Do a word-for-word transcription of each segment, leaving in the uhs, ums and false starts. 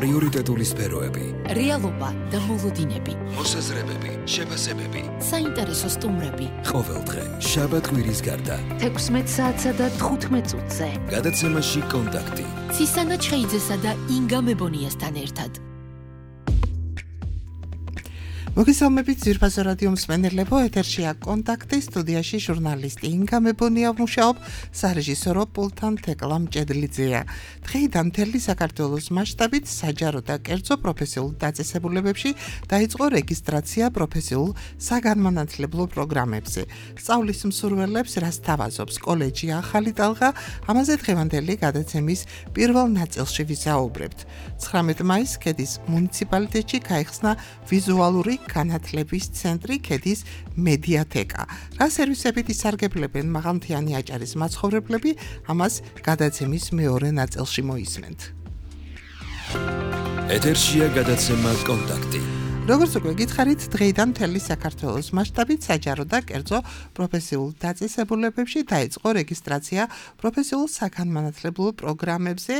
პრიორიტეტული სფეროები, რეალობა და მოლოდინები, მოსაზრებები, შეფასებები, საინტერესო სტუმრები. ყოველდღე, შაბათ-კვირის გარდა, თექვსმეტ საათსა და თხუთმეტ წუთზე. გადაცემაში კონტაქტი. ცისანა ჩხეიძესა და ინგა მებონიასთან ერთად. მოგესალმებით ძვირფასო რადიო მსმენელებო, ეთერშია კონტაქტი, სტუდიაში ჟურნალისტი ინგა მებონია მუშაობ, სარეჟისორო პულტთან თეკლა მჭედლიძეა. დღეიდან მთელი საქართველოს მასშტაბით საჯარო და კერძო პროფესიულ დაწესებულებებში დაიწყო რეგისტრაცია პროფესიულ საგანმანათლებლო პროგრამებზე. სწავლის მსურველებს რას თავაზობს კოლეჯი ახალი ტალღა, ამაზე დღევანდელი გადაცემის პირველ ნაწილში ვისაუბრებთ. ცხრამეტ მაისს ქედის მუნიციპალიტეტში გაიხსნა ვიზუალური განათლების ცენტრი ქედის მედიათეკა. რა სერვისებით ისარგებლებენ მაღალმთიანი აჭარის მაცხოვრებლები, ამას გადაცემის მეორე ნაწილში მოისმენთ. ეთერშია გადაცემა კონტაქტი. როგორც უკვე გითხარით, დღეიდან მთელი საქართველოს მასშტაბით საჯარო და კერძო პროფესიულ დაწესებულებებში დაიწყო რეგისტრაცია პროფესიულ საგანმანათლებლო პროგრამებზე.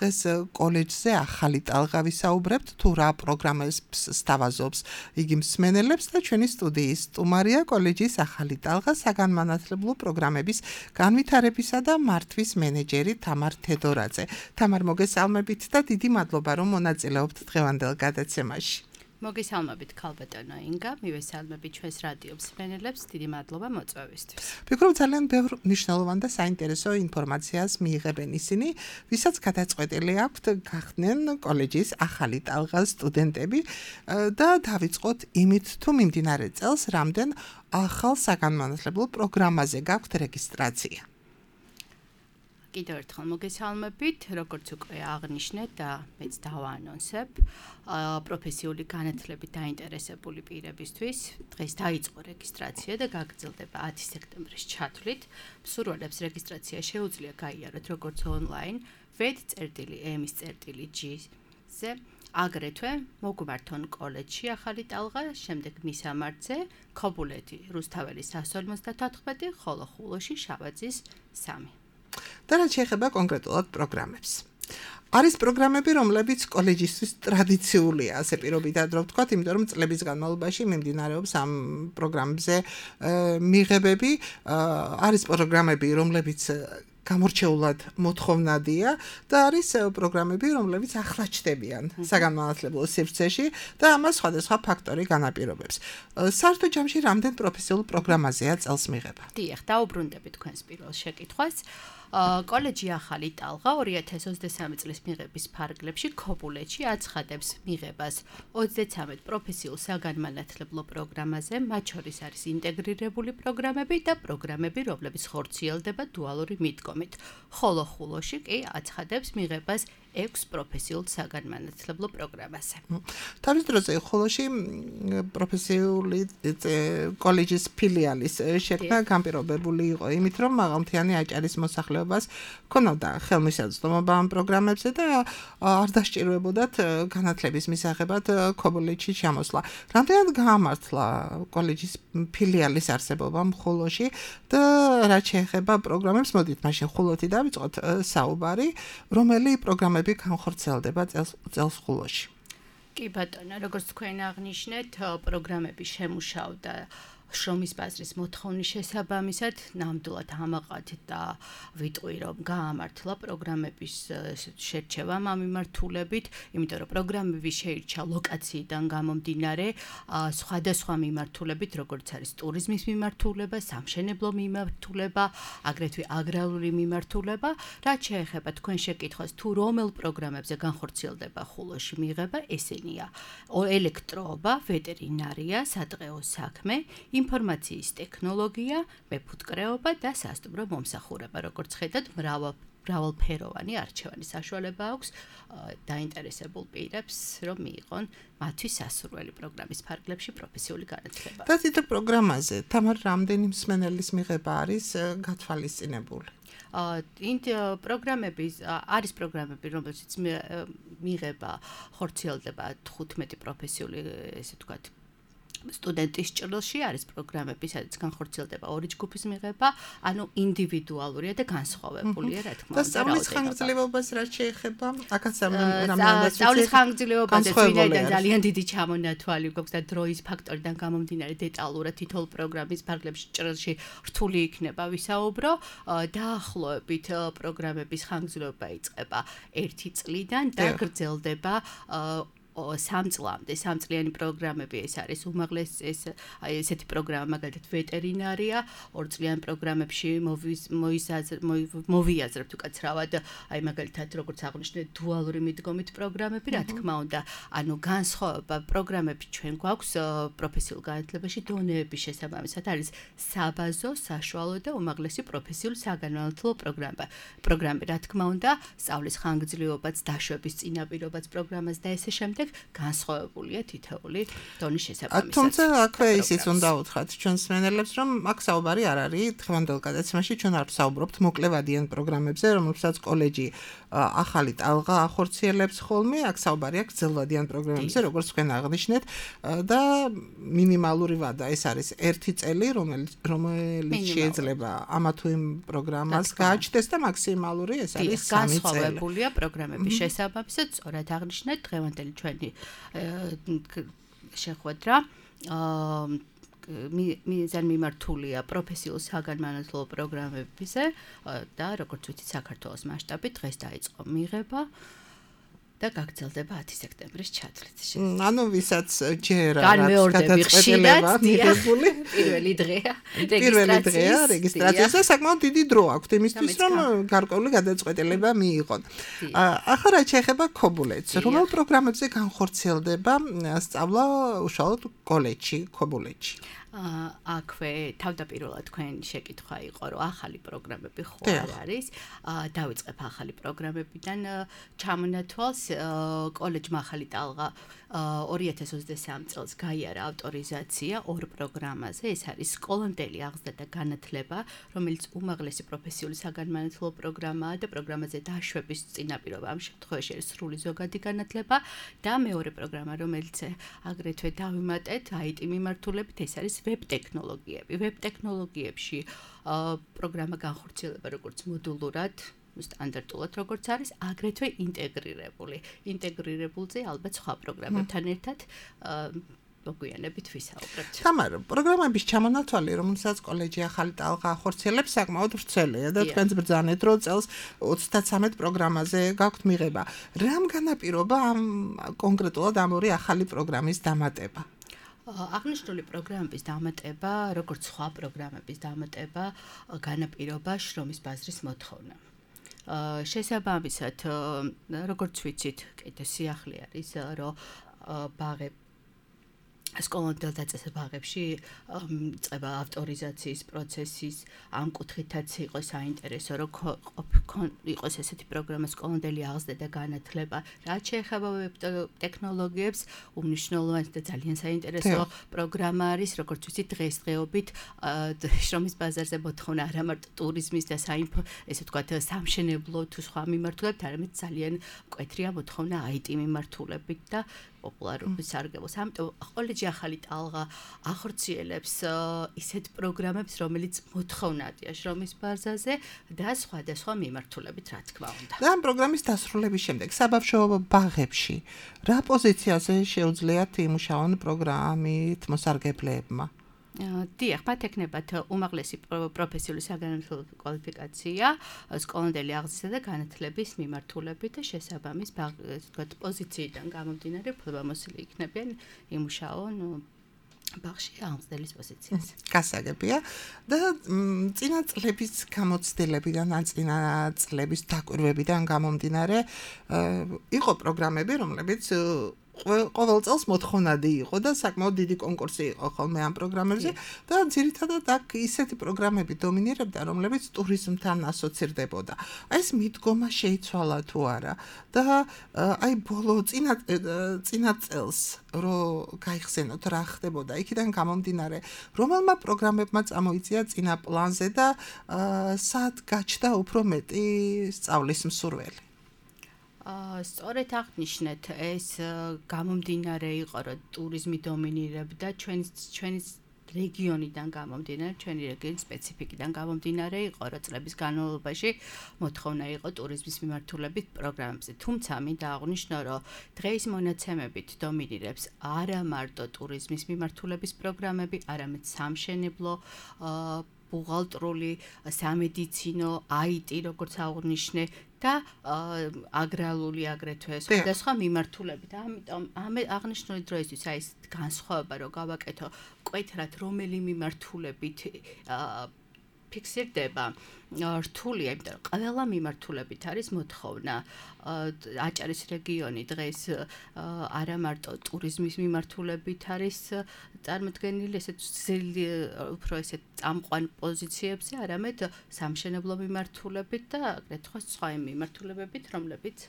დღეს კოლეჯზე ახალი ტალღა ვისაუბრებთ, თუ რა პროგრამებს სთავაზობს იგი მსმენელებს და ჩვენი სტუდიის სტუმარია კოლეჯის ახალი ტალღა საგანმანათლებლო პროგრამების განვითარებისა და მართვის მენეჯერი თამარ თედორაძე. თამარ, მოგესალმებით და დიდი მადლობა, რომ მონაწილეობთ დღევანდელ გადაცემაში. მოგესალმებით ქალბატონო ინგა, მივესალმებით ჩვენს რადიო მსმენელებს, დიდი მადლობა მოწვევისთვის. ვფიქრობ ძალიან ბევრ მნიშვნელოვან და საინტერესო ინფორმაციას მიიღებენ ისინი, ვისაც გადაწყვეტილი აქვთ გახდნენ კოლეჯის ახალი ტალღას სტუდენტები და დავიწყოთ იმით, თუ მიმდინარე წელს რამდენ ახალ საგანმანათლებლო პროგრამაზე გაქვთ რეგისტრაცია. კიდევ ერთხელ მოგესალმებით, როგორც უკვე აღნიშნეთ და მეც დავაანონსებ, პროფესიული განათლებით დაინტერესებული პირებისთვის დღეს დაიწყო რეგისტრაცია და გაგრძელდება ათი სექტემბრის ჩათვლით. მსურველებს რეგისტრაცია შეუძლია გაიაროთ როგორც ონლაინ www.emis.g-ზე, აგრეთვე მოგვმართონ კოლეჯში ახალი ტალღა, შემდეგ მისამართზე, ქობულეთი, რუსთაველის εκατს ორმოცდათოთხმეტი, ხოლო ხულოში შავაძის სამი. და რაც შეეხება კონკრეტულად პროგრამებს. არის პროგრამები, რომლებიც კოლეჯისთვის ტრადიციულია, ასე პირობითად რომ ვთქვათ, იმიტომ რომ წლების განმავლობაში მიმდინარეობს ამ პროგრამებზე მიღებები. არის პროგრამები, რომლებიც გამორჩეულად მოთხოვნადია და არის პროგრამები, რომლებიც ახლა ჩდებიან საგანმანათლებლო სივრცეში და ამას სხვადასხვა ფაქტორი განაპირობებს. საერთო ჯამში რამდენ პროფესიულ პროგრამაზეა წელს მიღება? დიახ, დაუბრუნდებით თქვენს პირველ შეკითხვას. კოლეჯი ახალი ტალღა ორი ათას ოცდამესამე წლის მიღების ფარგლებში ქობულეთში აცხადებს მიღებას ოცდაცამეტ პროფესიულ საგანმანათლებლო პროგრამაზე, მათ შორის არის ინტეგრირებული პროგრამები და პროგრამები, რომლებიც ხორციელდება დუალური მიდგომით. ხოლო ხულოში კი აცხადებს მიღებას ექვს პროფესიულ საგანმანათლებლო პროგრამაზე. თავის დროზე ხულოში პროფესიული კოლეჯის ფილიალის შექმნა განპირობებული იყო იმით, რომ მაღალმთიანი აჭარის მოსახლეობას ქონოდა ხელმისაწვდომობა ამ პროგრამებზე და არ დასჭიროებოდათ განათლების მისაღებად ქობულეთში ჩამოსვლა. რამდენად გაამართლა კოლეჯის ფილიალის არსებობა ხულოში და რაც შეეხება პროგრამებს, მოდით მაშინ ხულოთი დავიწყოთ საუბარი, რომელი პროგრამები განხორციელდება წელს ხულოში. კი ბატონო, როგორც თქვენ აღნიშნეთ, პროგრამები შემუშავდა შრომის ბაზრის მოთხოვნის შესაბამისად, ნამდვილად ამაყად და ვიტყვი, რომ გაამართლა პროგრამების შერჩევა ამ მიმართულებით, იმიტომ რომ პროგრამები შეირჩა ლოკაციიდან გამომდინარე, სხვადასხვა მიმართულებით, როგორც არის ტურიზმის მიმართულება, სამშენებლო მიმართულება, აგრეთვე აგრარული მიმართულება. რაც შეეხება თქვენ შეკითხვას, თუ რომელ პროგრამებზე განხორციელდება ხულოში მიღება, ესენია: ელექტროობა, ვეტერინარია, სადღეო საქმე, ინფორმაციის ტექნოლოგია, მეფუტკრეობა და სასტუმრო მომსახურება. როგორც ხედავთ, მრავალფეროვანი არჩევანი საშუალება აქვს დაინტერესებულ პირებს, რომ მიიღონ მათთვის სასურველი პროგრამის ფარგლებში პროფესიული განათლება. და თითო პროგრამაზე თამარ რამდენი მსმენელის მიღება არის გათვალისწინებული? ინტ პროგრამების არის პროგრამები, რომელშიც მიღება ხორციელდება თხუთმეტი პროფესიული, ესე ვთქვათ, სტუდენტის ჭრილში არის პროგრამები, სადაც განხორციელდება ორი ჯგუფის მიღება, ანუ ინდივიდუალურია და განსხვავებულია, რა თქმა უნდა. და სწავლის ხანგრძლივობას რაც შეეხება, აქაც რამოდენადაც სწავლის ხანგრძლივობაზე ვინაიდან ძალიან დიდი ჩამონათვალი გვაქვს და დროის ფაქტორიდან გამომდინარე დეტალურად თითოეულ პროგრამის ფარგლებში ჭრილში რთული იქნება ვისაუბრო. დაახლოებით პროგრამების ხანგრძლივობა იწყება ერთი წლიდან და გრძელდება სამ წლამდე. სამწლიანი პროგრამები ეს არის უმაღლესი ეს აი ესეთი პროგრამა მაგალითად ვეტერინარია, ორწლიან პროგრამებში მოვიაზრებთ უკაცრავად აი მაგალითად როგორც აღნიშნეთ დუალური მიდგომით პროგრამები, რა თქმა უნდა, ანუ განსხვავება პროგრამები ჩვენ გვაქვს პროფესიულ განათლებაში დონეების შესაბამისად არის საბაზო, საშუალო და უმაღლესი პროფესიულ საგანმანათლებლო პროგრამა. პროგრამები, რა თქმა უნდა, სწავლის ხანგრძლივობაც, დაშვების წინაპირობაც პროგრამას და ესე შემდეგ განსხვავებულია თითოეული დონის შესაბამისად. თუმცა აქვე ისიც უნდა უთხრათ ჩვენს მენელებს, რომ აქ საუბარი არ არის დღევანდელ გადაცემაში ჩვენ არ ვსაუბრობთ მოკლევადიან პროგრამებზე, რომელსაც კოლეჯი ახალი ტალღა ახორციელებს ხოლმე, აქ საუბარია გრძელვადიან პროგრამებზე, როგორც თქვენ აღნიშნეთ და მინიმალური ვადა ეს არის ერთი წელი, რომელიც რომელიც შეიძლება ამა თუ იმ პროგრამას გააჩნდეს და მაქსიმალური ეს არის სამი წელი. განსხვავებულია პროგრამების შესაბამისად, სწორად აღნიშნეთ დღევანდელი ჩვენი შეხვედრა მიზან მიმართულია პროფესიულ საგანმანათლებლო პროგრამებზე და როგორც ვიცით საქართველოს მასშტაბით დღეს დაიწყო მიღება და გაგრძელდება ათი სექტემბრის ჩათვლით. ანუ ვისაც ჯერ არის გადაწყვეტილება მიღებული პირველი დღეა პირველი დღეა რეგისტრაციის და საკმაოდ დიდი დრო აქვს იმისთვის რომ გარკვეული გადაწყვეტილება მიიღონ. ახლა რაც შეეხება ქობულეთს, რომელ პროგრამებზე განხორციელდება სწავლა უშუალოდ კოლეჯში, ქობულეთში? აქვე თავდაპირველად თქვენ შეკითხვა იყო, რომ ახალი პროგრამები ხო არ არის. დავიწყებ ახალი პროგრამებიდან ჩამონათვალს. კოლეჯმა ახალი ტალღა ორი ათას ოცდასამი წელს გაიარა ავტორიზაცია ორ პროგრამაზე. ეს არის სკოლამდელი აღზრდა და განათლება, რომელიც უმაღლესი პროფესიული საგანმანათლებლო პროგრამაა და პროგრამაზე დაშვების წინაპირობა ამ შემთხვევაში არის სრული ზოგადი განათლება და მეორე პროგრამა, რომელიც აგრეთვე დავიმატეთ აი ტი მიმართულებით, ეს არის ვებ ტექნოლოგიები. ვებ ტექნოლოგიებში პროგრამა განხორციელება როგორც მოდულურად, სტანდარტულად როგორც არის, აგრეთვე ინტეგრირებული. ინტეგრირებულზე ალბათ სხვა პროგრამებთან ერთად მოგვიანებით ვისაუბრებთ. თამარ, პროგრამების ჩამონათვალი, რომელსაც კოლეჯი ახალი ტალღა ახორციელებს, საკმაოდ ვრცელია და თქვენც ბრძანეთ, რომ წელს ოცდათრამეტ პროგრამაზე გაქვთ მიღება. რამ განაპირობა ამ კონკრეტულად ამ ორი ახალი პროგრამის დამატება? აღნიშნული პროგრამების დამატება, როგორც სხვა პროგრამების დამატება, განაპირობა შრომის ბაზრის მოთხოვნა. შესაბამისად, როგორც ვიცით, კიდე სიახლე არის, რომ ბაღები სკოლამდელ დაწესებულ ბაღებში წება ავტორიზაციის პროცესის ამ კუთხითაც იყო საინტერესო, რომ იყოს ესეთი პროგრამა სკოლამდელი აღზრდა და განათლება. რაც შეეხება ვებ ტექნოლოგიებს, უმნიშვნელოვანი და ძალიან საინტერესო პროგრამა არის, როგორც ვიცით, დღესდღეობით შრომის ბაზარზე მოთხოვნა არა მარტო ტურიზმის და საინფო, ესე ვთქვათ, სამშენებლო თუ სხვა მიმართულებით, არამედ ძალიან მკვეთრია მოთხოვნა აი ტი მიმართულებით და პოპულარობის სარგებლობს. ამიტომ კოლეჯი ახალი ტალღა ახორციელებს ისეთ პროგრამებს, რომელიც მოთხოვნადია შრომის ბაზაზე და სხვადასხვა მიმართულებით, რა თქმა უნდა. და ამ პროგრამის დასრულების შემდეგ საბავშვო ბაღებში რა პოზიციაზე შეუძლიათ იმუშაონ პროგრამით მოსარგებლებმა? დიახ, მათ ექნებათ უმაღლესი პროფესიული საგანმანათლებლო კვალიფიკაცია, სკოლამდელი აღზრდა და განათლების მიმართულებით და შესაბამის ვთქვათ პოზიციიდან გამომდინარე უფლებამოსილი იქნებიან იმუშაონ ბაღში აღზრდელის პოზიციაზე. გასაგებია და წინა წლების გამოცდილებიდან ან წინა წლების დაკვირვებიდან გამომდინარე იყო პროგრამები, რომლებიც ყოველ წელს მოთხოვნადი იყო და საკმაოდ დიდი კონკურსი იყო ხოლმე ამ პროგრამებზე და ძირითადად აქ ისეთი პროგრამები დომინირებდა, რომლებიც ტურიზმთან ასოცირდებოდა. აი ეს მიდგომა შეიცვალა თუ არა და აი ბოლო წინა წინა წელს რო გაიხსენოთ რა ხდებოდა, იქიდან გამომდინარე, რომელმა პროგრამებმა წამოიწია წინა პლანზე და სად გაჩნდა უფრო მეტი სწავლის მსურველი? სწორედ აღნიშნეთ, ეს გამომდინარე იყო, რომ ტურიზმი დომინირებდა ჩვენი ჩვენი რეგიონიდან გამომდინარე, ჩვენი რეგიონის სპეციფიკიდან გამომდინარე იყო, რომ წლების განმავლობაში მოთხოვნა იყო ტურიზმის მიმართულებით პროგრამებზე. თუმცა მინდა აღვნიშნო, რომ დღეის მონაცემებით დომინირებს არა მარტო ტურიზმის მიმართულების პროგრამები, არამედ სამშენებლო, ბუღალტრული, სამედიცინო, აი ტი, როგორც აღვნიშნე და აგრარული აგრეთვე სხვადასხვა მიმართულებით. ამიტომ ამ აღნიშნული დროისთვის აი ეს განსხვავება რომ გავაკეთო კვეთრად რომელი მიმართულებით ფიქსირდება რთულია, იმიტომ რომ ყველა მიმართულებით არის მოთხოვნა. აჭარის რეგიონი დღეს არა მარტო ტურიზმის მიმართულებით არის წარმოდგენილი, ესეც უფრო ესეთ წამყვან პოზიციებზე, არამედ სამშენებლო მიმართულებით და აგრეთვე სხვა მიმართულებებით, რომლებიც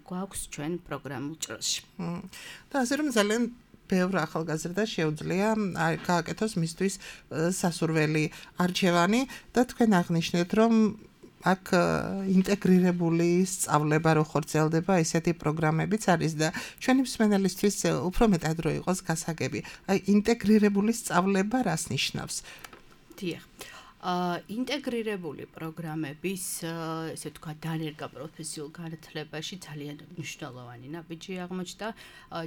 გვაქვს ჩვენ პროგრამულ ჭრილში. და ასე რომ ძალიან ბევრ ახალგაზრდა შეუძლია გააკეთოს მისთვის სასურველი არჩევანი და თქვენ აღნიშნეთ, რომ აქ ინტეგრირებული სწავლება რო ხორციელდება, ესეთი პროგრამებიც არის და ჩვენი მსმენელისთვის უფრო მეტად რო იყოს გასაგები. აი ინტეგრირებული სწავლება რას ნიშნავს? დიახ. ინტეგრირებული პროგრამების, ესე ვთქვათ, დანერგა პროფესიულ განათლებაში ძალიან მნიშვნელოვანი ნაბიჯი აღმოჩნდა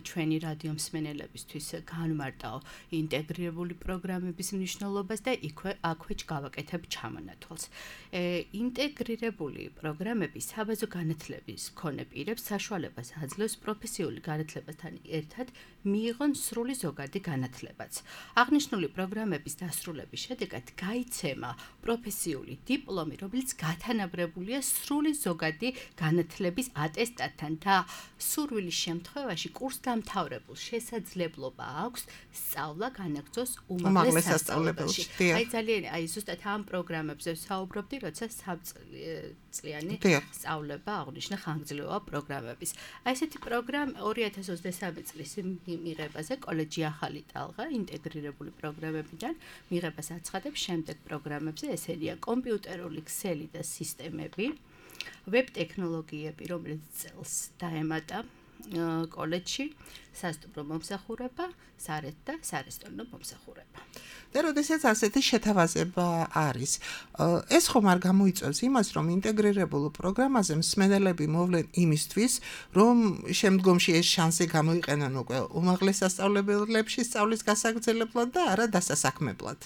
ჩვენი რადიო მსმენელებისთვის განმარტავ ინტეგრირებული პროგრამების მნიშვნელობას და იქვე აქვე გავაკეთებ ჩამონათვალს. ინტეგრირებული პროგრამები საბაზო განათლების მქონე პირებს საშუალებას აძლევს პროფესიული განათლებასთან ერთად მიიღონ სრული ზოგადი განათლებაც. აღნიშნული პროგრამების დასრულების შედეგად გაიცემა პროფესიული დიპლომი, რომელიც გათანაბრებულია სრული ზოგადი განათლების ატესტატთან და სურვილის შემთხვევაში კურსდამთავრებულ შესაძლებლობა აქვს სწავლა განაგრძოს უმაღლეს სასწავლებელში. აი ძალიან აი ზუსტად ამ პროგრამებზე ვსაუბრობდი, როცა სამწლიანი სწავლება აღნიშნა ხანგრძლივობა პროგრამების. აი ესეთი პროგრამა ორი ათას ოცდამესამე წლის მიღებაზე კოლეჯი ახალი ტალღა ინტეგრირებული პროგრამებიდან მიღებას აცხადებს შემდეგ პროგრამებზე, ესენია კომპიუტერული ქსელი და სისტემები, ვებ ტექნოლოგიები, რომელიც წელს დაემატა კოლეჯში, სასტუმრო მომსახურება, სარეთ და სარესტორნო მომსახურება. და როდესაც ასეთი შეთავაზება არის, ეს ხომ არ გამოიწვევს იმას, რომ ინტეგრირებულ პროგრამაზე მსმენელები მოვლენ იმისთვის, რომ შემდგომში ეს შანსი გამოიყენონ უკვე უმაღლეს სასწავლებლებში სწავლის გასაგრძელებლად და არა დასასაქმებლად.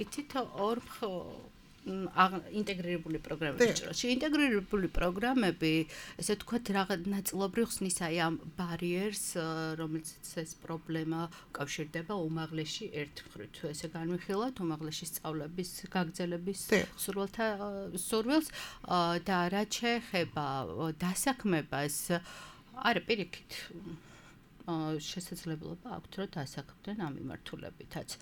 იცით ორ ინტეგრირებული პროგრამები ჭრილში. ინტეგრირებული პროგრამები, ესე ვთქვათ, რაღაც ნაწილობრივ ხსნის აი ამ ბარიერს, რომელიც ეს პრობლემა უკავშირდება უმაღლესში ერთ მხრივ. თუ ესე განვიხილავთ უმაღლესში სწავლების გაგრძელების სურვილთა სურვილს და რაც შეეხება დასაქმებას, არა პირიქით შესაძლებლობა აქვთ, რომ დასაქმდნენ ამ მიმართულებითაც.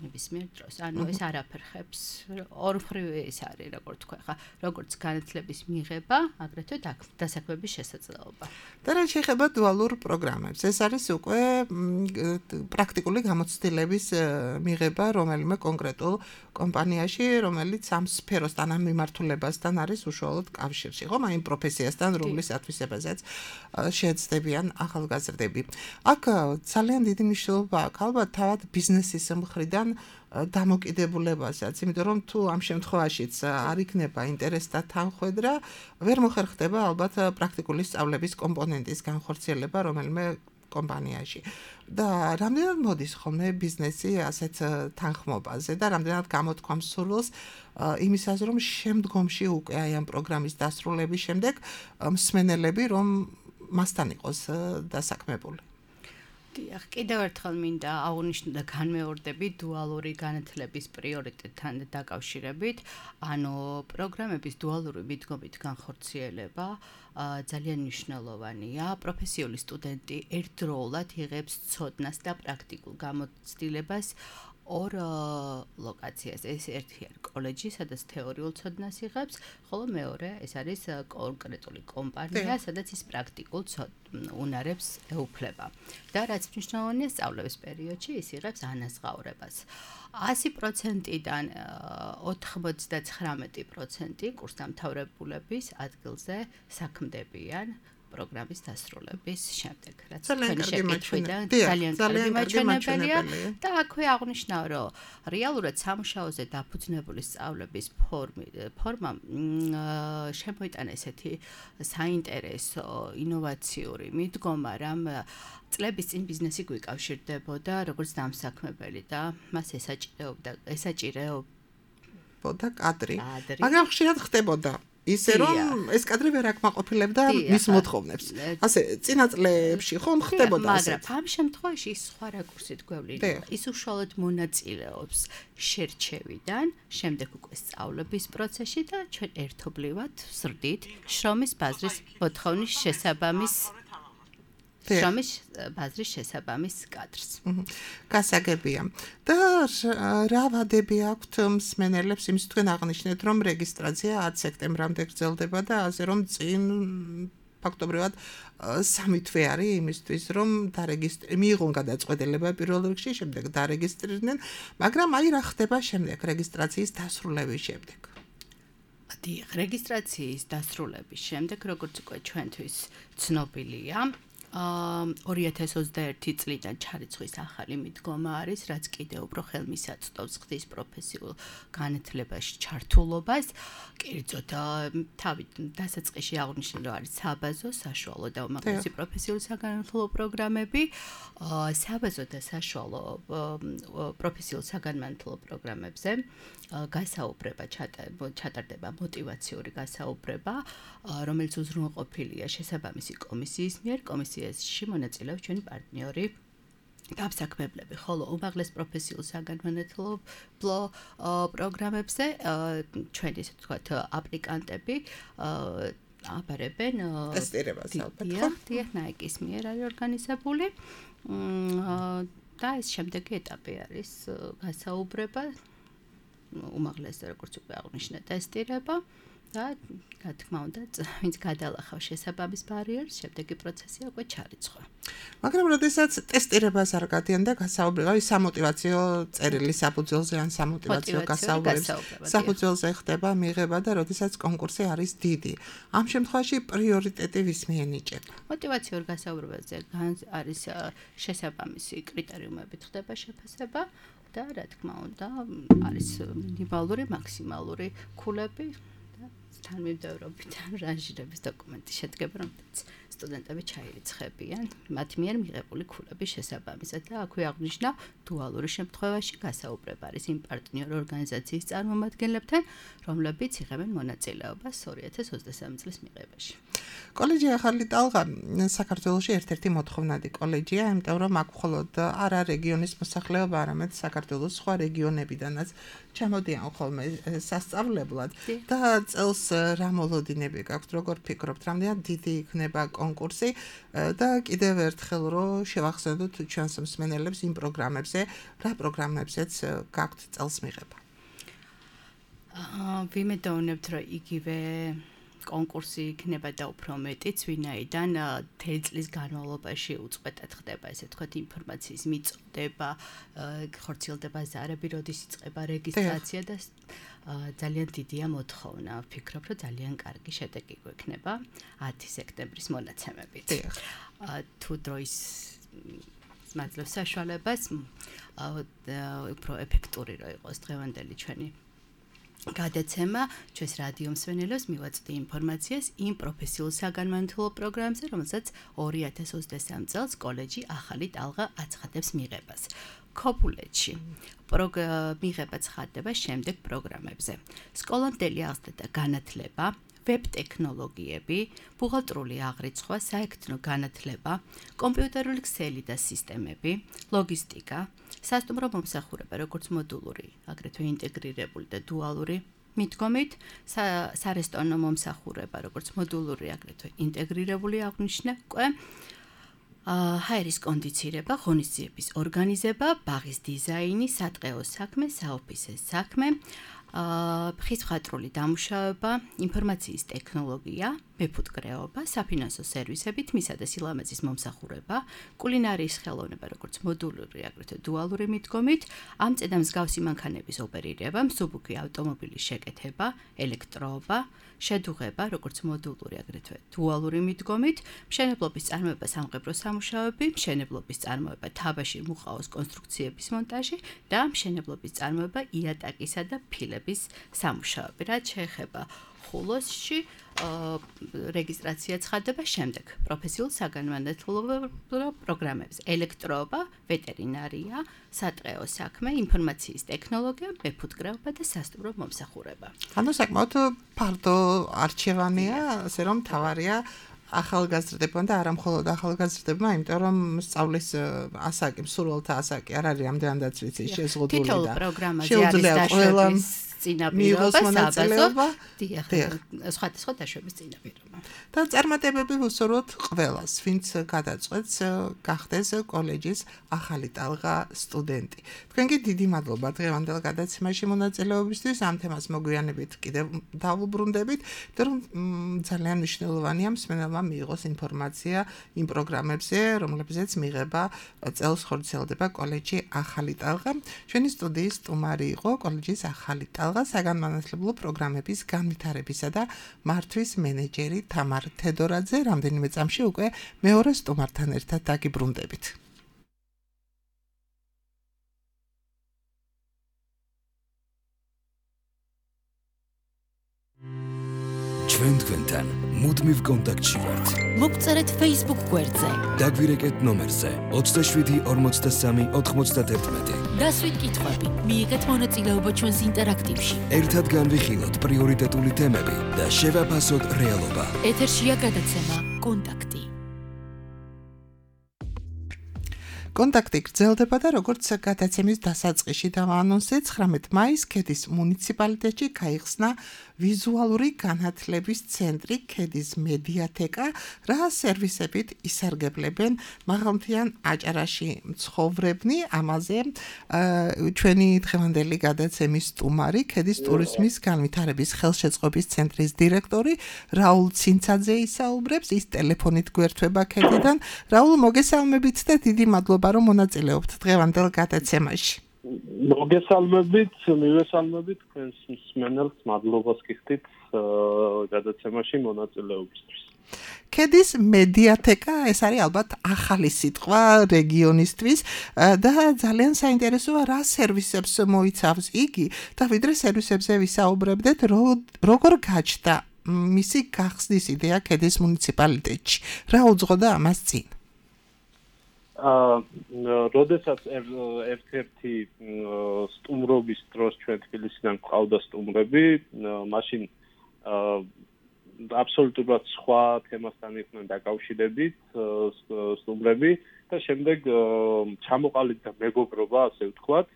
ნებისმიერ დროს. ანუ ეს არაფერხებს ორმხრივ ეს არის, როგორც თქვა, ხა, როგორც განათლების მიღება, აგრეთვე დასაქმების შესაძლებლობა. და რაც შეეხება დუალურ პროგრამებს, ეს არის უკვე პრაქტიკული გამოცდილების მიღება რომელიმე კონკრეტულ კომპანიაში, რომელიც ამ სფეროსთან, ამ მიმართულებასთან არის უშუალოდ კავშირში, ხომ? აი პროფესიასთან, რომლის ათვისებაზეც შეეცდებიან ახალგაზრდები. აქ ძალიან დიდი მნიშვნელობა აქვს ალბათ თავად ბიზნესის მხრიდან დამოკიდებულებასაც, იმიტომ რომ თუ ამ შემთხვევაშიც არ იქნება ინტერესთა თანხვედრა, ვერ მოხერხდება ალბათ პრაქტიკული სწავლების კომპონენტის განხორციელება რომელიმე კომპანიაში. და რამდენად მოდის ხოლმე ბიზნესი ასეთ თანხმობაზე და რამდენად გამოთქვამს სურვილს იმისას, რომ შემდგომში უკვე აი ამ პროგრამის დასრულების შემდეგ მსმენელები რომ მასთან იყოს დასაქმებული. დიახ, კიდევ ერთხელ მინდა აღვნიშნო და განმეორდები დუალური განათლების პრიორიტეტთან დაკავშირებით, ანუ პროგრამების დუალური მიდგომით განხორციელება ძალიან მნიშვნელოვანია. პროფესიული სტუდენტი ერთდროულად იღებს ცოდნას და პრაქტიკულ გამოცდილებას ორ ლოკაციას. ეს ერთი არის კოლეჯი, სადაც თეორიულ ცოდნას იღებს, ხოლო მეორე ეს არის კონკრეტული კომპანია, სადაც ის პრაქტიკულ უნარებს ეუფლება. და რაც მნიშვნელოვანია, სწავლების პერიოდში ის იღებს ანაზღაურებას. ასი პროცენტიდან ოთხმოცდათხრამეტი პროცენტი კურსდამთავრებულების ადგილზე საქმდებიან პროგრამის დასრულების შემდეგ. რაც თქვენი შეკითხვიდან ძალიან კარგი მაჩვენებელია და აქვე აღნიშნავ, რომ რეალურად სამუშაოზე დაფუძნებული სწავლების ფორმა შემოიტანა ესეთი საინტერესო, ინოვაციური მიდგომა, რამ წლების წინ ბიზნესი გვიკავშირდებოდა როგორც დამსაქმებელი და მას ესაჭირეობდა ესაჭირეობდა კადრი, მაგრამ ხშირად ხდებოდა ისე რომ ეს კადრი ვერ აკმაყოფილებდა მის მოთხოვნებს. ასე წინა წლებში ხომ ხდებოდა ასე. მაგრამ ამ შემთხვევაში ის სხვა რაკურსით გვევლინება. ის უშუალოდ მონაწილეობს შერჩევიდან, შემდეგ უკვე სწავლების პროცესში და ჩვენ ერთობლივად ვსრდით შრომის ბაზრის მოთხოვნის შესაბამის შრომის ბაზრის შესაბამის კადრს. გასაგებია. და რა ვადები აქვთ მსმენელებს, იმის თქვენ აღნიშნეთ, რომ რეგისტრაცია ათი სექტემბრამდე გრძელდება და ასე რომ წინ ფაქტობრივად სამი თვე არის იმისთვის, რომ დარეგისტრირდნენ, მიიღონ გადაწყვეტილება პირველ რიგში, შემდეგ დარეგისტრირდნენ, მაგრამ აი რა ხდება შემდეგ რეგისტრაციის დასრულების შემდეგ. დიახ, რეგისტრაციის დასრულების შემდეგ, როგორც უკვე ჩვენთვის ცნობილია, ორი ათას ოცდაერთი წლიდან ჩარიცხვის ახალი მიდგომა არის, რაც კიდევ უფრო ხელმისაწვდომს ხდის პროფესიულ განათლებაში ჩართულობას. კერძოდ, თავით დასაწყისში აღნიშნე, რომ არის საბაზო, საშუალო და უმაღლესი პროფესიული საგანმანათლებლო პროგრამები. საბაზო და საშუალო პროფესიულ საგანმანათლებლო პროგრამებზე გასაუბრება ჩატარდება მოტივაციური გასაუბრება, რომელიც უზრუნველყოფილია შესაბამისი კომისიის მიერ. კომისიაში მონაწილეობს ჩვენი პარტნიორი დამსაქმებლები, ხოლო უმაღლეს პროფესიულ საგანმანათლებლო პროგრამებზე ჩვენი ესე ვთქვათ აპლიკანტები აბარებენ ტესტირებას ალბათ ხო? დიახ, ნაიკის მიერ არის ორგანიზებული. და ეს შემდეგი ეტაპი არის გასაუბრება, უმაღლესი როგორც უკვე აღნიშნე ტესტირება და რა თქმა უნდა, ვინც გადალახავს შესაბამის ბარიერს, შემდეგი პროცესია უკვე ჩარიცხვა. მაგრამ როდესაც ტესტირებას არ გადიან და გასაუბრება, ის სამოტივაციო წერილი საფუძველზე ან სამოტივაციო გასაუბრების საფუძველზე ხდება მიღება და როდესაც კონკურსი არის დიდი. ამ შემთხვევაში პრიორიტეტი ვის მიენიჭება? მოტივაციურ გასაუბრებაზე არის შესაბამისი კრიტერიუმებით ხდება შეფასება და რა თქმა უნდა, არის მინიმალური, მაქსიმალური ქულები. თანმიმდევრობიდან რანჟირების დოკუმენტი შედგება, რომელიც სტუდენტები ჩაირიცხებიან მათ მიერ მიღებული ქულების შესაბამისად და აქვე აღნიშნა დუალური შემთხვევაში გასაუბრება არის იმ პარტნიორ ორგანიზაციის წარმომადგენლებთან, რომლებიც იღებენ მონაწილეობას ორი ათას ოცდასამი წლის მიღებაში. კოლეჯი ახალი ტალღა საქართველოში ერთ-ერთი მოთხოვნადი კოლეჯია, იმიტომ რომ აქ მხოლოდ არა რეგიონის მოსახლეობა, არამედ საქართველოს სხვა რეგიონებიდანაც ჩამოდიან ხოლმე სასწავლებლად და წელს რა მოლოდინები გაქვთ, როგორ ფიქრობთ, რამდენად დიდი იქნება კონკურსი და კიდევ ერთხელ რომ შევახსენოთ ჩვენს მსმენელებს იმ პროგრამებზე, რა პროგრამებზეც გაქვთ წელს მიღება. აა ვიმედოვნებთ, რომ იგივე კონკურსი იქნება და უფრო მეტიც, ვინაიდან თელის განმავლობაში უწყვეტად ხდება, ესე ვთქვათ, ინფორმაციის მიწოდება, ხორციელდება ზარები, როდის იწყება რეგისტრაცია და ძალიან დიდია მოთხოვნა. ვფიქრობ, რომ ძალიან კარგი შედეგი გვექნება ათი სექტემბრის მონაცემებით. თუ დროის მაძლევს საშუალებას, უფრო ეფექტური რო იყოს დღევანდელი ჩვენი გადაცემა, ჩვენს რადიო მსმენელებს მივაწვდი ინფორმაციას იმ პროფესიულ საგანმანათლებლო პროგრამებზე, რომელსაც ორი ათას ოცდასამი წელს კოლეჯი ახალი ტალღა აცხადებს მიღებას. ქობულეთში მიღება ცხადდება შემდეგ პროგრამებზე. სკოლამდელი აღზრდა და განათლება, ვებ ტექნოლოგიები, ბუღალტრული აღრიცხვა, საექთნო განათლება, კომპიუტერული ქსელი და სისტემები, ლოგისტიკა, სასტუმრო მომსახურება, როგორც მოდულური, აგრეთვე ინტეგრირებული და დუალური მიდგომით, სარესტორნო მომსახურება, როგორც მოდულური, აგრეთვე ინტეგრირებული აღნიშნე უკვე ჰაერის კონდიცირება, ღონისძიების ორგანიზება, ბაღის დიზაინი, სატყეო საქმე, საოფისე საქმე, ხის მხატვრული დამუშავება, ინფორმაციის ტექნოლოგია, მეფუტკრეობა, საფინანსო სერვისები, თმისა და სილამაზის მომსახურება, კულინარიის ხელოვნება, როგორც მოდულური, აგრეთვე დუალური მიდგომით, ამწე და მსგავსი მანქანების ოპერირება, მსუბუქი ავტომობილის შეკეთება, ელექტროობა, შედუღება, როგორც მოდულური, აგრეთვე დუალური მიდგომით, მშენებლობის წარმოება, სამღებრო სამუშაოები, მშენებლობის წარმოება, თაბაშირ მუყაოს კონსტრუქციების მონტაჟი და მშენებლობის წარმოება, იატაკისა და ფილების სამუშაოები. რაც შეეხება ხულოსში რეგისტრაცია ცხადდება შემდეგ პროფესიულ საგანმანათლებლო პროგრამებზე: ელექტროობა, ვეტერინარია, სატყეო საქმე, ინფორმაციის ტექნოლოგია, მეფუტკრეობა და სასტუმრო მომსახურება. ანუ საკმაოდ ფართო არჩევანია, ასე რომ თავარია ახალგაზრდებმა და არა მხოლოდ ახალგაზრდებმა, იმიტომ რომ სწავლის ასაკი, მსურველთა ასაკი არ არის ამდენადაც ვიცი შეზღუდული და თითოეულ პროგრამაზე არის დაშვების წინაპირობა, საბაზო, დიახ, სხვადასხვა დაშვების წინაპირობა. და წარმატებები ვუსურვოთ ყველას, ვინც გადაწყვეტს გახდეს კოლეჯის ახალი ტალღა სტუდენტი. თქვენ კი დიდი მადლობა დღევანდელ გადაცემაში მონაწილეობისთვის, ამ თემას მოგვიანებით კიდევ დავუბრუნდებით, იმიტომ რომ ძალიან მნიშვნელოვანია მსმენელმა მიიღოს ინფორმაცია იმ პროგრამებზე, რომლებზეც მიღება წელს ხორციელდება კოლეჯი ახალი ტალღა. ჩვენი სტუდიის სტუმარი იყო კოლეჯის ახალი ტალღა საგანმანათლებლო პროგრამების განვითარებისა და მართვის მენეჯერი თამარ თედორაძე. რამდენიმე წამში უკვე მეორე სტუმართან ერთად დაგიბრუნდებით. ჩვენ თქვენთან მუდმივ კონტაქტში ვართ. მოგწერეთ Facebook გვერდზე. დაგვირეკეთ ნომერზე ოცდაშვიდი ორმოცდასამი ოთხმოცდაათი. დასვით კითხვები, მიიღეთ მონაწილეობა ჩვენს ინტერაქტივში. ერთად განვიხილოთ პრიორიტეტული თემები და შევაფასოთ რეალობა. ეთერშია გადაცემა კონტაქტი. კონტაქტი გრძელდება და როგორც გადაცემის დასაწყისში დავაანონსე, ცხრამეტ მაისს ქედის მუნიციპალიტეტში გაიხსნა ვიზუალური განათლების ცენტრი, ქედის მედიათეკა, რა სერვისებით ისარგებლებენ მაღალმთიან აჭარაში მცხოვრებნი. ამაზე ჩვენი დღევანდელი გადაცემის სტუმარი, ქედის ტურიზმის განვითარების ხელშეწყობის ცენტრის დირექტორი რაულ ცინცაძე ისაუბრებს, ის ტელეფონით გვერდება ქედიდან. რაულ, მოგესალმებით და დიდი მადლობა რომ მონაწილეობთ დღევანდელ გადაცემაში. მოგესალმებით, მივესალმებით თქვენს მსმენელს, მადლობას გიხდით გადაცემაში მონაწილეობისთვის. ქედის მედიათეკა, ეს არის ალბათ ახალი სიტყვა რეგიონისთვის და ძალიან საინტერესოა რა სერვისებს მოიცავს იგი და ვიდრე სერვისებზე ვისაუბრებდეთ, როგორ გაჩნდა მისი გახსნის იდეა ქედის მუნიციპალიტეტში. რა უძღოდა ამას წინ? აა, როდესაც ერთ-ერთი სტუმრობის დროს ჩვენ თბილისიდან ყავდა სტუმრები, მაშინ აა აბსოლუტურად სხვა თემასთან იყვნენ დაკავშირებით სტუმრები და შემდეგ ჩამოყალიბდა მეგობრობა, ასე ვთქვათ,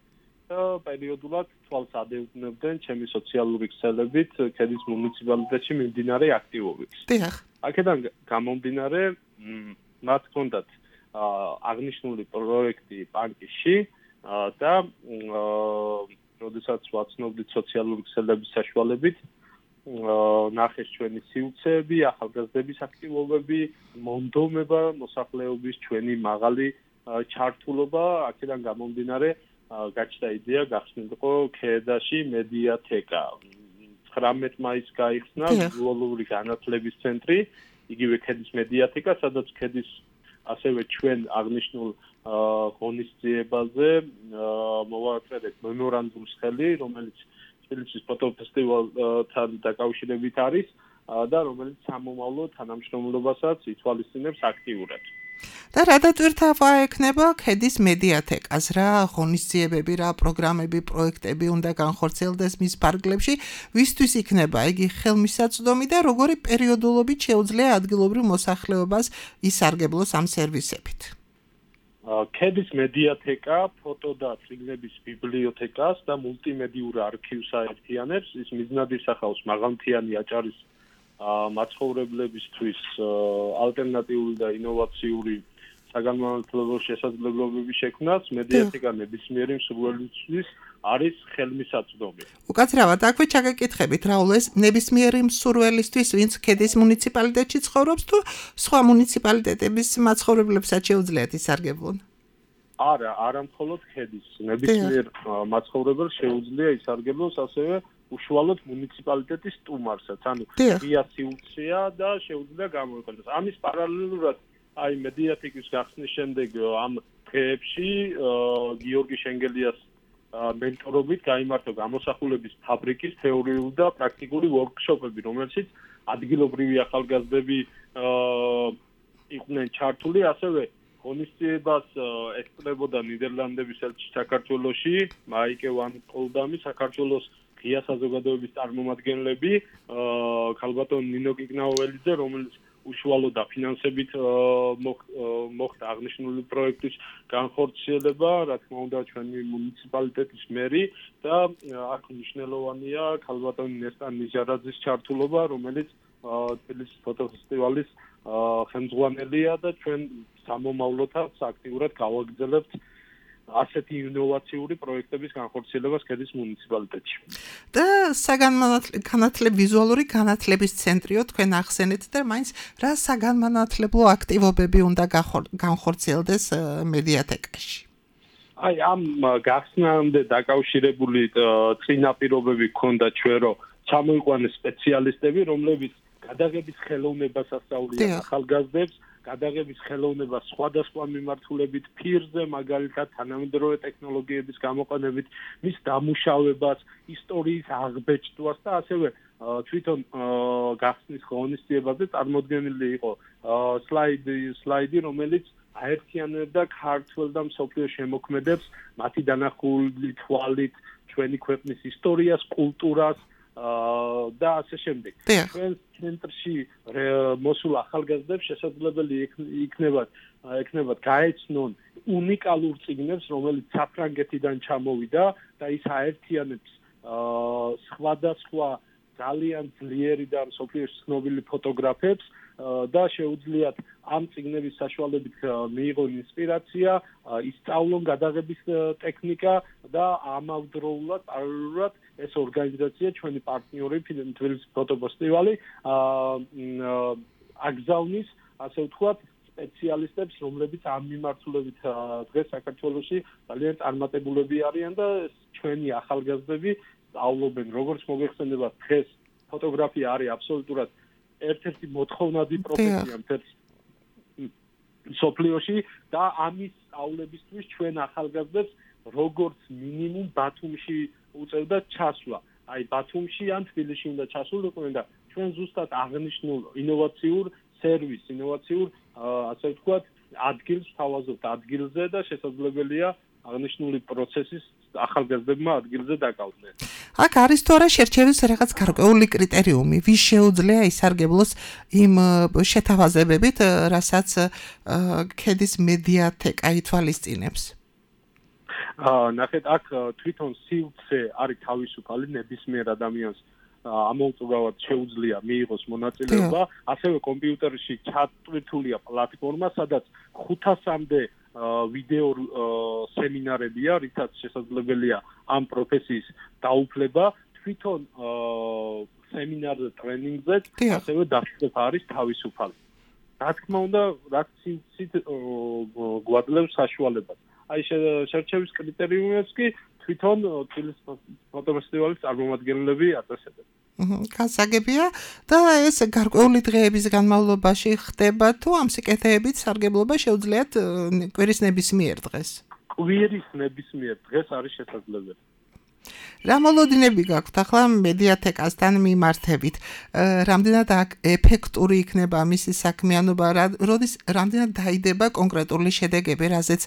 და პერიოდულად თვალს ადევნებდნენ ჩემი სოციალური ქსელებით ქედის მუნიციპალიტეტში მიმდინარე აქტივობებს. დიახ. აქედან გამომდინარე, მათ ჰქონდათ აღნიშნული პროექტი პანკიში და როდესაც ვაცნობდით სოციალური ქსელების საშუალებით, ნახეს ჩვენი სიუცეები, ახალგაზრდების აქტივობები, მონდომება, მოსახლეობის ჩვენი მაღალი ჩართულობა, აქედან გამომდინარე გაჩნდა იდეა გახსნილიყო ქედაში მედიათეკა. ცხრამეტ მაისს გაიხსნა ვიზუალური განათლების ცენტრი, იგივე ქედის მედიათეკა, სადაც ქედის ასევე ჩვენ აღნიშნულ ღონისძიებაზე მოვაწერეთ მემორანდუმის ხელი, რომელიც თბილისის ფოტოფესტივალთან დაკავშირებით არის და რომელიც სამომავლო თანამშრომლობასაც ითვალისწინებს აქტიურად. და რა დატვირთვა ექნება ქედის მედიათეკას, რა ღონისძიებები, რა პროგრამები, პროექტები უნდა განხორციელდეს მის ფარგლებში, ვისთვის იქნება იგი ხელმისაწვდომი და როგორი პერიოდულობით შეუძლია ადგილობრივ მოსახლეობას ისარგებლოს ამ სერვისებით. ქედის მედიათეკა ფოტო და წიგნების ბიბლიოთეკას და მულტიმედიურ არქივს აერთიანებს. ის მიზნად ისახავს მაღალმთიანი აჭარის მაცხოვრებლებისთვის ალტერნატიული და ინოვაციური საგანმანათლებლო შესაძლებლობების შექმნას მედიათეკა ნებისმიერი მსურველისთვის არის ხელმისაწვდომი. უკაცრავად, აქვე ჩაგეკითხებით, რაულ ეს ნებისმიერი მსურველისთვის, ვინც ქედის მუნიციპალიტეტში ცხოვრობს თუ სხვა მუნიციპალიტეტების მაცხოვრებლებსაც შეუძლიათ ისარგებლონ? არა, არა მხოლოდ ქედის, ნებისმიერ მაცხოვრებელს შეუძლია ისარგებლოს ასევე უშუალოდ მუნიციპალიტეტის სტუმარსაც, ანუ ღია სივრცეა და შეუძლია გამოიყენოს. ამის პარალელურად აი მედიათეკის გახსნის შემდეგ ამ დღეებში გიორგი შენგელიას მენტორობით გაიმართა გამოსახულების ფაბრიკის თეორიული და პრაქტიკული ვორქშოპები, რომელშიც ადგილობრივი ახალგაზრდები იყვნენ ჩართული, ასევე ღონისძიებას ესწრებოდა ნიდერლანდების ელჩი საქართველოში, მაიკე ვან პოლდამი, საქართველოს ღია საზოგადოების წარმომადგენლები, ქალბატონ ნინო კიკნაოველიძე, რომელიც უშუალო დაფინანსებით მოხდა აღნიშნული პროექტის განხორციელება, რა თქმა უნდა, ჩვენი მუნიციპალიტეტის მერი და აქ მნიშვნელოვანია ქალბატონი ნესტან ნიჟარაძის ჩართულობა, რომელიც თბილისის ფოტოფესტივალის ხელმძღვანელია და ჩვენ სამომავლოდაც აქტიურად გავაგრძელებთ ასეთი ინოვაციური პროექტების განხორციელებას ქედის მუნიციპალიტეტში. და საგანმანათლებლო ვიზუალური განათლების ცენტრიო თქვენ ახსენეთ და მაინც რა საგანმანათლებლო აქტივობები უნდა განხორციელდეს მედიათეკაში? აი ამ გახსნამდე დაკავშირებული წინაპირობები ჰქონდა ჩვენ რომ ჩამოიყვანეს სპეციალისტები, რომლებიც გადაღების ხელოვნებას ასწავლიან ახალგაზრდებს, გადაღების ხელოვნება სხვადასხვა მიმართულებით ფირზე, მაგალითად თანამედროვე ტექნოლოგიების გამოყენებით, მის დამუშავებას, ისტორიის აღბეჭდვას და ასევე თვითონ გახსნის ღონისძიებაზე წარმოდგენილი იყო სლაიდი, სლაიდი, რომელიც აერთიანებდა ქართველ და მსოფლიო შემოქმედებს, მათი დანახული თვალით ჩვენი ქვეყნის ისტორიას, კულტურას და ასე შემდეგ. ჩვენ ცენტრში მოსულ ახალგაზრდებს შესაძლებელი იქნებათ ექნებათ გაეცნონ უნიკალურ წიგნებს, რომელიც საფრანგეთიდან ჩამოვიდა და ის აერთიანებს სხვადასხვა ძალიან ძლიერი და მსოფლიოს ცნობილი ფოტოგრაფებს და შეუძლიათ ამ წიგნების საშუალებით მიიღონ ინსპირაცია, ისწავლონ გადაღების ტექნიკა და ამავდროულად პარალელურად ეს ორგანიზაცია ჩვენი პარტნიორი თბილისის ფოტოფესტივალი აგზავნის, ასე ვთქვათ, სპეციალისტებს, რომლებიც ამ მიმართულებით დღეს საქართველოში ძალიან წარმატებულები არიან და ჩვენი ახალგაზრდები სწავლობენ, როგორც მოგეხსენება, დღეს ფოტოგრაფია არის აბსოლუტურად ერთ-ერთი მოთხოვნადი პროფესია მთელ მსოფლიოში და ამის სწავლებისთვის ჩვენ ახალგაზრდებს როგორც მინიმუმ ბათუმში უწევდა ჩასვლა. აი ბათუმში ან თბილისში უნდა ჩასულიყვნენ და ჩვენ ზუსტად აღნიშნულ ინოვაციურ სერვისს, ინოვაციურ ასე ვთქვათ, ადგილს თავაზობთ ადგილზე და შესაძლებელია აღნიშნული პროცესის ახალგაზრდებმა ადგილზე დაკავდნენ. აქ არის თუ არა შერჩევის რაღაც გარკვეული კრიტერიუმი, ვის შეუძლია ისარგებლოს იმ შეთავაზებებით, რასაც ქედის მედიათეკა ითვალისწინებს? ნახეთ, აქ თვითონ სივრცე არის თავისუფალი, ნებისმიერ ადამიანს ამოუწურავად შეუძლია მიიღოს მონაწილეობა, ასევე კომპიუტერში ჩატვირთულია პლატფორმა, სადაც ხუთასამდე ვიდეო სემინარებია, რითაც შესაძლებელია ამ პროფესიის დაუფლება, თვითონ სემინარზე, ტრენინგზე, ასევე დასწრება არის თავისუფალი. რა თქმა უნდა, რაც სივრცით გვაძლევს საშუალებას. აი შერჩევის კრიტერიუმებს კი თვითონ თბილისის ფოტოფესტივალის წარმომადგენლები აწესებენ. გასაგებია და ეს გარკვეული დღეების განმავლობაში ხდება თუ ამ სიკეთეებით სარგებლობა შეუძლიათ კვირის ნებისმიერ დღეს? კვირის ნებისმიერ დღეს არის შესაძლებელი. რა მოლოდინები გაქვთ ახლა მედიათეკასთან მიმართებით? რამდენად ეფექტური იქნება მისი საქმიანობა, როდის რამდენად დაიდება კონკრეტული შედეგები, რაზეც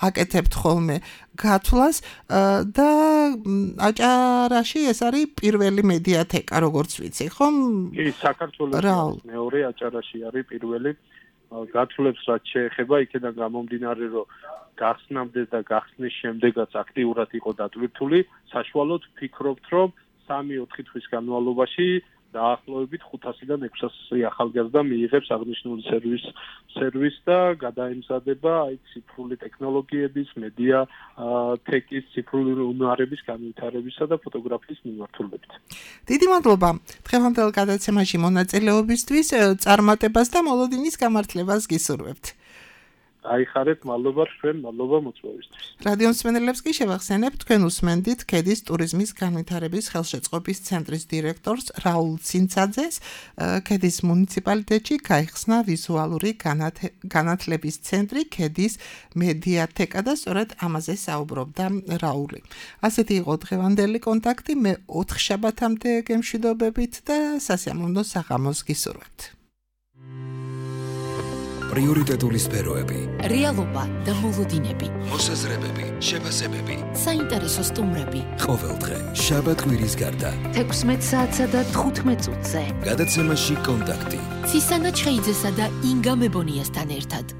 აკეთებთ ხოლმე გათვლას და აჭარაში ეს არის პირველი მედიათეკა, როგორც ვიცი, ხომ? კი, საქართველოს მეორე, აჭარაში არის პირველი. გათვლებს რაც შეეხება, იქიდან გამომდინარე, რომ გახსნამდე და გახსნის შემდეგაც აქტიურად იყო დატვირთული, საშუალოდ ვფიქრობთ, რომ სამი-ოთხი თვის განმავლობაში დაახლოებით ხუთასიდან ექვსასი ახალგაზრდა მიიღებს აღნიშნული სერვის სერვისს და გადაემზადება აი ციფრული ტექნოლოგიების, მედია ტექის, ციფრული უნარების განვითარებისა და ფოტოგრაფიის მიმართულებით. დიდი მადლობა დღევანდელ გადაცემაში მონაწილეობისთვის, წარმატებას და მოლოდინის გამართლებას გისურვებთ. აიხარეთ, მადლობა თქვენ, მადლობა მოწვევისთვის. რადიო მსმენელებს კი შევახსენებ, თქვენ უსმენდით ქედის ტურიზმის განვითარების ხელშეწყობის ცენტრის დირექტორს რაულ ცინცაძეს. ქედის მუნიციპალიტეტში გაიხსნა ვიზუალური განათლების ცენტრი, ქედის მედიათეკა და სწორედ ამაზე საუბრობდა რაული. ასეთი იყო დღევანდელი კონტაქტი, მე ოთხ შაბათამდე გემშვიდობებით და სასიამოვნო საღამოს გისურვებთ. პრიორიტეტული სფეროები, რეალობა და მოლოდინები, მოსაზრებები, შეფასებები, საინტერესო სტუმრები. ყოველდღე, შაბათ-კვირის გარდა, თექვსმეტ საათსა და თხუთმეტ წუთზე. გადაცემაში კონტაქტი. ცისანა ჩხეიძესა და ინგა მებონიასთან ერთად.